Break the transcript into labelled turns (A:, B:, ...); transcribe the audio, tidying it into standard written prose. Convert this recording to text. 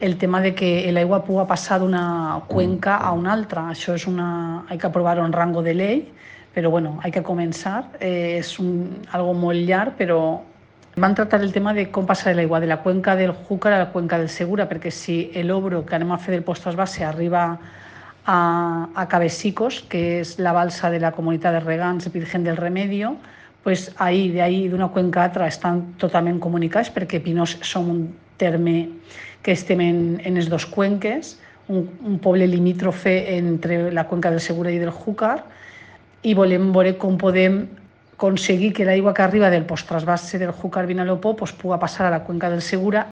A: el tema de que l'aigua pugui passar d'una cuenca a una altra. Això és hay que aprovar un rango de ley, pero bueno, hay que començar. És algo molt llarg, però van tractar el tema de com passar l'aigua de la cuenca del Júcar a la cuenca del Segura, perquè si l'Obro que anem a fer del post-trasvase arriba a Cabecicos, que és la balsa de la comunitat de regants de Virgen del Remedio, pues ahí, d'una cuenca a altra estan totalment comunicats, perquè Pinós som un terme que estem en les dues cuenques, un poble limítrofe entre la cuenca del Segura i del Júcar, i volem veure com podem aconseguir que l'aigua que arriba del post-trasvase del Júcar Vinalopó pues, pugui passar a la cuenca del Segura